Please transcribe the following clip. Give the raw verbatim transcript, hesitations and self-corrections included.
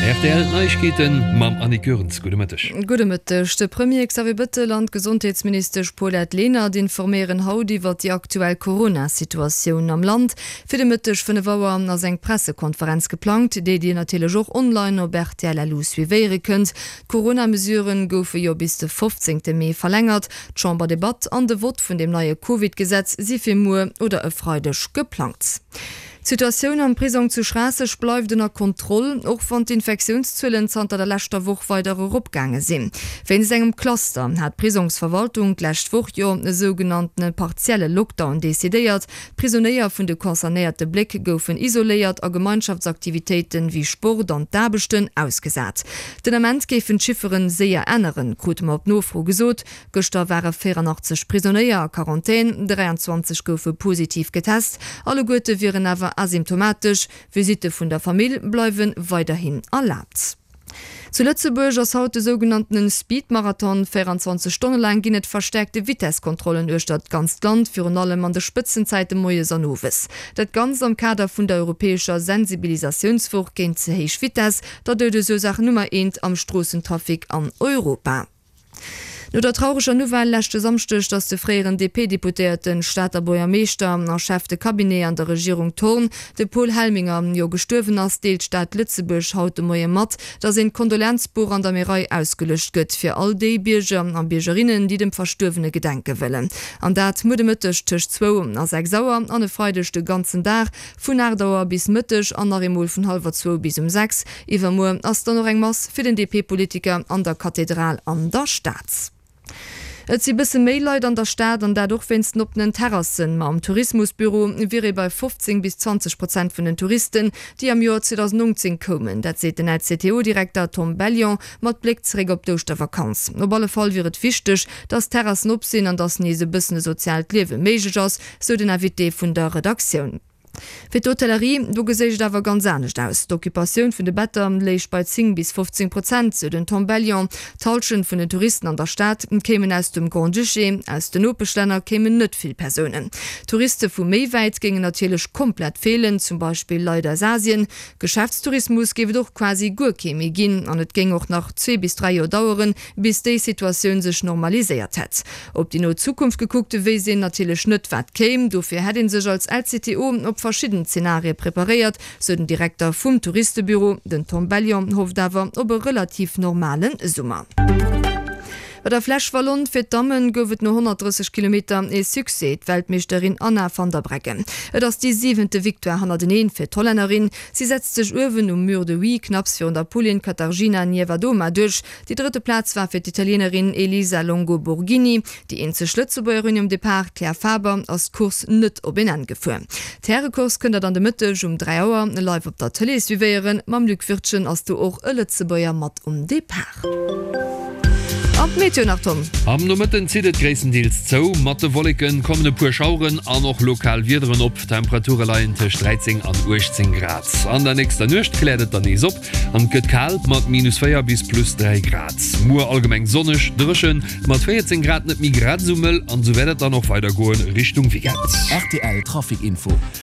Rtl Neiegkeeten mam Annick Goerens. Gudde Mëtteg. Gudde Mëtteg. De Premier Xavier Bettel an d'Gesondheetsministesch Paulette Lenert informéieren haut iwwer déi aktuell Corona-Situatioun am Land. Fir de Mëtteg fënnef Auer ass eng Pressekonferenz geplangt, déi Dir natierlech och online op rtl. Lu suivéiere kënnt. D'Corona-Mesuren goufe jo bis de fofzéngte Mee verlängert. D'Chamberdebatt an de Vott vun dem neie Covid-Gesetz si fir muer oder e Freideg geplangt. D'Situatioun am Prisong zu Schraasseg bleift ënner Kontroll, och wann d'Infektiounszuelen zanter der leschter Woch weider eropgaange sinn. Wéinst engem Cluster hat d'Prisongsverwaltung d'lescht Woch jo e sougenanntene partielle Lockdown decidéiert. D'Prisonéier vun de concernéierte Bléck goufen isoléiert a Gemeinschaftsaktivitéiten wéi Sport an d'Aarbechten ausgesat. Den Ament géifen d'Chifferen séier änneren, krute mer op Nofro gesot. Gëschter ware véierandachtzeg Prisonéier a Quarantän, dräianzwanzeg goufe positiv getest, alleguerte wieren awer asymptomatesch. Visitte vun der Famill bleiwe weiderhin erlaabt. Zu Lëtzebuerg ass haut de sougenanntene Speed-Marathon. véierundzwanzeg Stonne laang ginn et verstäerkte Vitesskontrollen uechter d'ganzt Land, virun allem an de Spëtzenzäite moies an owes. Dat Ganzt am Kader vun der europäescher Sensibilisatiounswoch géint ze héich Vitess, der Doudesursaach Nummer eent am Stroossentrafic an Europa. No der traureger Nouvelle leschte Samschdeg, datt de fréieren D P-Deputéierten, Stater Buergermeeschter a Chef de Cabinet an der Regierung Thorn, de Paul Helminger, jo gestuerwen ass, deelt d'Stad Lëtzebuerg haut de Moie mat, datt een Kondolenzbuch an der Märei ausgeluecht gëtt fir all déi Bierger a Biergerinnen, déi dem Verstuerwene gedenke wëllen. An dat muer de Mëtteg tëscht zwou a sechs Auer an e Freideg de ganzen Dag vun aacht Auer bis Mëtteg an nach eemol vun hallwer zwou bis um sechs. Iwwermuer ass dann och eng Mass fir den D P-Politiker an der Kathedral an der Stad. Et si bësse méi Leit an der Stad, an dat och wéinst den oppenen Terrassen. Ma am Tourismusbüro wier ee bei fofzéng bis zwanzeg Prozent vun den Touristen, déi am Joer zweedausendnongzéng koumen. Dat seet den L C T O-Direkter Tom Bellion mat Bléck zeréck op d'Ouschtervakanz. Op alle Fall wier et wichteg, datt d'Terrassen op sinn an datt nees e bëssen e soziaalt Liewe méiglech ass, sou den Invité vun der Redaktioun. Fir d'Hotellerie, do geséich et awer ganz anescht aus. D'Occupatioun vun de Better léich bei zéng bis fofzéng Prozent, sou den Tom Bellion. D'Hallschent vun den Touristen an der Stad kéimen aus dem Grand-Duché, aus den Nopeschlänner kéimen net vill Persounen. Touriste vu méi wäit géingen natierlech komplett feelen, zum Beispill Leit aus Asien. Geschäftstourismus géif et och quasi guer kee méi ginn an et géing och nach zwee bis dräi Joer daueren, bis déi Situatioun sech normaliséiert hätt. Op déi no Zukunft gekuckt, wéisst een natierlech net, wat kéim. Dofir hätt ee sech als L C T O op verschidden Zenarie preparéiert, sou den Direkter vum Touristebüro. Den Tom Bellion hofft awer op e relativ normale Summer. Bei der Flèche Wallonne fir d'Dammen gouf et no honnertdrësseg Kilometer ee Succès, d'Weltmeeschterin Anna van der Breggen. Et ass déi siwente Victoire hannerteneen fir d'Hollännerin. Si setzt sech uewen um Mur de Huy knapps virun der Polin Katarzyna Niewiadoma duerch. Déi drëtte Plaz war fir d'Italienerin Elisa Longo Borghini. Déi eenzeg Lëtzebuergerin um Depart, d'Claire Faber, ass d'Course net op een Enn gefuer. D'Härecourse kënnt der dann de Mëtteg um dräi Auer live op der Tëlee suivéieren. Mam Luc Wirtgen ass do och e Lëtzebuerger mat um Depart. An d'Meteo nach, Tom. Am Nomëtten zitt et gréisstendeels zou, mat de Wolleken kommen e puer Schaueren an och lokal Wiederen op. D'Temperature leien tëscht dräizéng an uechtzéng Grad. An der nächster Nuecht kläert et dann nees op an et gëtt kal mat minus véier bis plus dräi Grad. Muer allgemeng sonneg, dréchen, mat véierzéng Grad net méi grad esou mëll an esou wäert et dann och weidergoen Richtung Weekend. Rtl Trafic Info.